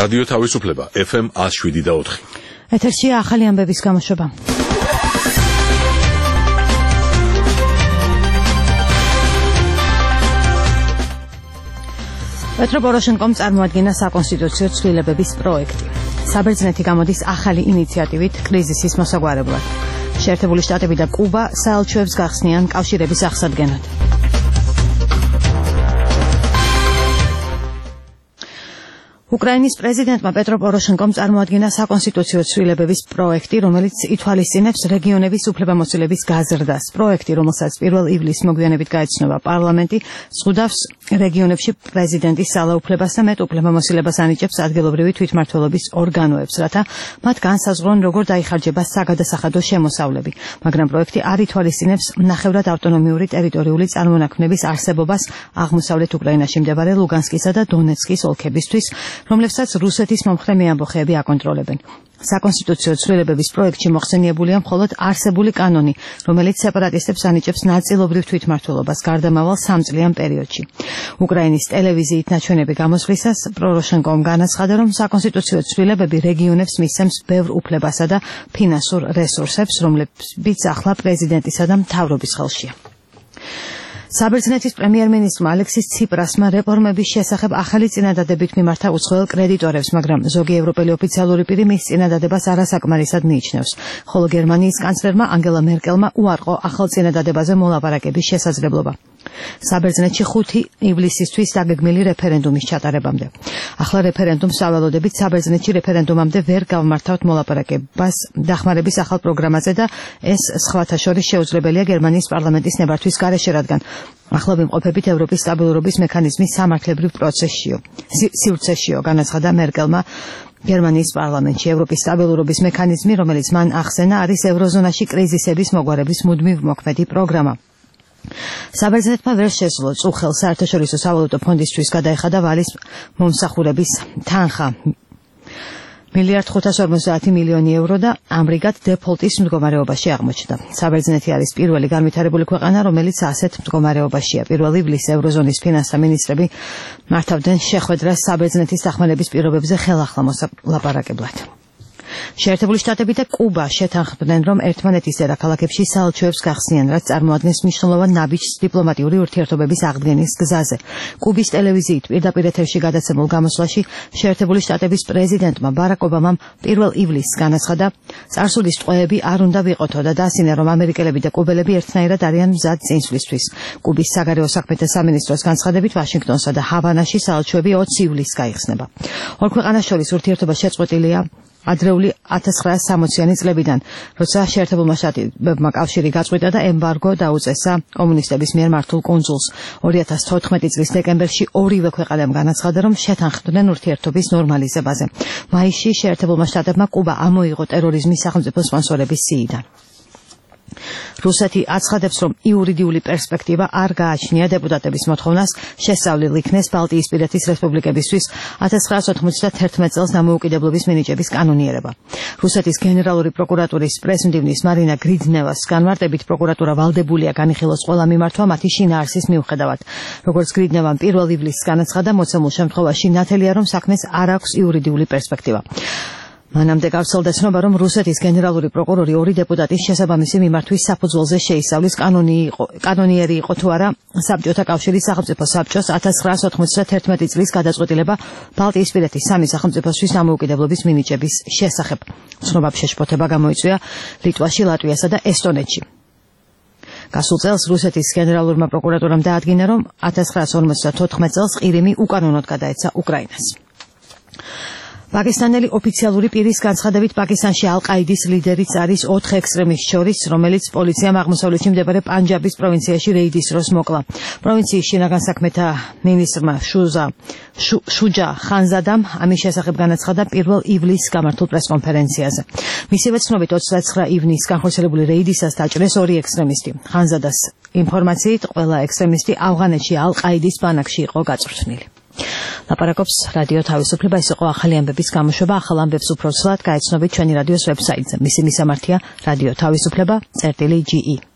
რადიო თავისუფლება FM 107.4. ეთერშია ახალი ამბების გამოშვება. პეტრო პოროშენკომ წარმოადგინა საკონსტიტუციო ცვლილებების პროექტი. საბერძნეთი გამოდის ახალი ინიციატივით კრიზისის მოსაგვარებლად. შეერთებული შტატები და კუბა საელჩოებს გახსნიან კავშირების აღსადგენად. უკრაინის პრეზიდენტმა პეტრო პოროშენკომ წარმოადგინა საკონსტიტუციო ცვლილებების პროექტი, რომელიც ითვალისწინებს რეგიონების უფლებამოსილების გაზრდას. პროექტი, რომელსაც 1 ივლისს მოგვიანებით გაეცნობა პარლამენტი, ზღუდავს რეგიონებში პრეზიდენტის ძალაუფლებას და მეტ უფლებამოსილებას ანიჭებს ადგილობრივი თვითმმართველობის ორგანოებს, რათა მათ განსაზღვრონ, როგორ დაიხარჯება საგადასახადო შემოსავლები. მაგრამ პროექტი არ ითვალისწინებს ნახევრად ავტონომიური ტერიტორიული წარმონაქმნების არსებობას აღმოსავლეთ უკრაინაში მდებარე ლუგანსკისა და დონეცკის ოლქებისთვის, რომლებსაც რუსეთის მომხრე მეამბოხეები აკონტროლებენ. საკონსტიტუციო ცვლილებების პროექტში მოხსენიებულია მხოლოდ არსებული კანონი, რომელიც სეპარატისტებს ანიჭებს ნაწილობრივ თვითმმართველობას გარდამავალ 3 წლიან პერიოდში. უკრაინის ტელევიზიით ნაჩვენები გამოსვლისას პროროშენკომ განაცხადა, რომ საკონსტიტუციო ცვლილებები რეგიონებს მისცემს ბევრ უფლებასა და ფინანსურ რესურსებს, რომლებიც ახლა პრეზიდენტისა და მთავრობის ხელშია. საბერძნეთის პრემიერ-მინისტრმა ალექსის ციპრასმა რეფორმების შესახებ ახალი წინადადებით მიმართა უცხოელ კრედიტორებს, მაგრამ ზოგი ევროპელი ოფიციალური პირი მის წინადადებას არასაკმარისად მიიჩნევს, ხოლო გერმანიის კანცლერმა ანგელა მერკელმა უარყო ახალ წინადადებაზე მოლაპარაკების შესაძლებლობა. საბერძნეთში 5 ივლისისთვის დაგეგმილი რეფერენდუმის ჩატარებამდე. ახლა რეფერენდუმს ავალოდებით საბერძნეთში რეფერენდუმამდე ვერ გავმართავთ მოლაპარაკებას დახმარების ახალ პროგრამაზე და ეს სხვათა შორის შეუძლებელია გერმანიის პარლამენტის ნებართვის გარეშე, რადგან ახლა ვიმყოფებით ევროპის სტაბილურობის მექანიზმის სამართლებრივ სივრცეშიო, განაცხადა მერკელმა გერმანიის პარლამენტში. ევროპის სტაბილურობის მექანიზმი, რომელიც მან ახსენა, არის ევროზონაში კრიზისების მოგვარების მუდმივ მოქმედი პროგრამა. საბერძნეთმა ვერ შესძლო წუხელ საერთაშორისო სავალუტო ფონდისთვის გადაეხადა ვალის მომსახურების თანხა 1,550 მილიონი ევრო და ამრიგად დეფოლტის მდგომარეობაში აღმოჩნდა. საბერძნეთი არის პირველი განვითარებული ქვეყანა, რომელიც ასეთ მდგომარეობაშია. 1 ივლისს ევროზონის ფინანსთა მინისტრები მართავდნენ შეხვედრას საბერძნეთის დახმარების პირობებზე ხელახლა მოსალაპარაკებლად. შეერთებული შტატები და კუბა შეთანხმდნენ, რომ ერთმანეთის დედაქალაქებში საელჩოებს გახსნიან, რაც წარმოადგენს მნიშვნელოვან ნაბიჯს დიპლომატიური ურთიერთობების აღდგენის გზაზე. კუბის ტელევიზიით პირდაპირ ეთერში გადაცემულ გამოსვლაში შეერთებული შტატების პრეზიდენტმა ბარაკ ობამამ 1 ივლისს განაცხადა, წარსულის ტყვეები არ უნდა ვიყოთო და დასინა, რომ ამერიკელები და კუბელები ერთნაირად არიან მზად წინსვლისთვის. კუბის საგარეო საქმეთა სამინისტროს განცხადებით, ვაშინგტონსა და ჰავანაში საელჩოები 20 ივლისს გაიხსნება. ორ ქვეყანას შორის ურთიერთობა შეწყვეტილია ადრეული 1960-იანი წლებიდან, როცა შეერთებულმა შტატებმა კავშირი გაწყვიტა და ემბარგო დაუწესა კომუნისტების მიერ მართულ კუნძულს. 2014 წლის დეკემბერში ორივე ქვეყანამ განაცხადა, რომ შეთანხმდნენ ურთიერთობის ნორმალიზებაზე. მაისში შეერთებულმა შტატებმა კუბა ამოიღო ტერორიზმის სახელმწიფო სპონსორების სიიდან. რუსეთი აცხადებს, რომ იურიდიული პერსპექტივა არ გააჩნია დეპუტატების მოთხოვნას შესწავლილ იქნეს ბალტიისპირეთის რესპუბლიკებისთვის 1991 წელს დამოუკიდებლობის მინიჭების კანონიერება. რუსეთის გენერალური პროკურატურის პრესმდივნის მარინა გრიდნევას განმარტებით, პროკურატურა ვალდებულია განიხილოს ყველა მიმართვა მათი შინაარსის მიუხედავად. როგორც გრიდნევამ 1 ივლისს განაცხადა, მოცემულ შემთხვევაში ნათელია, რომ საქმეს არ აქვს იურიდიული პერსპექტივა. მანამდე გავრცელდა ცნობა, რომ რუსეთის გენერალური პროკურორი 2 დეპუტატის შესაბამისი მიმართვის საფუძველზე შეისწავლის კანონიერი იყო თუ არა საბჭოთა კავშირის სახელმწიფო საბჭოს 1991 წლის გადაწყვეტილება ბალტიისპირეთის 3 სახელმწიფოსთვის დამოუკიდებლობის მინიჭების შესახებ. ცნობა შეშფოთება გამოიწვია ლიტვაში, ლატვიასა და ესტონეთში. გასულ წელს რუსეთის გენერალურმა პროკურატურამ დაადგინა, რომ 1954 წელს ყირიმი უკანონოდ გადაეცა უკრაინას. პაკისტანელი ოფიციალური პირის განცხადებით, პაკისტანში ალ-ყაიდის ლიდერიც არის 4 ექსტრემისტს შორის, რომელიც პოლიციამ აღმოსავლეთში მდებარე პანჯაბის პროვინციაში რეიდის დროს მოკლა. პროვინციის შინაგან საქმეთა მინისტრმა შუჯა ხანზადამ ამის შესახებ განაცხადა 1 ივლისს გამართულ პრესკონფერენციაზე. მისივე ცნობით 29 ივნისს განხორციელებული რეიდისას დაჭრეს 2 ექსტრემისტი. ხანზადას ინფორმაციით, ყველა ექსტრემისტი ავღანეთში ალ-ყაიდის ბანაკში იყო გაწვრთნილი. ლაპარაკობს რადიო თავისუფლება, ეს იყო ახალი ამბების გამოშვება. ახალ ამბებს უფრო ცვლად გაეცნობით ჩვენი რადიოს ვებსაიტზე. მისი მისამართია რადიო თავისუფლება.ge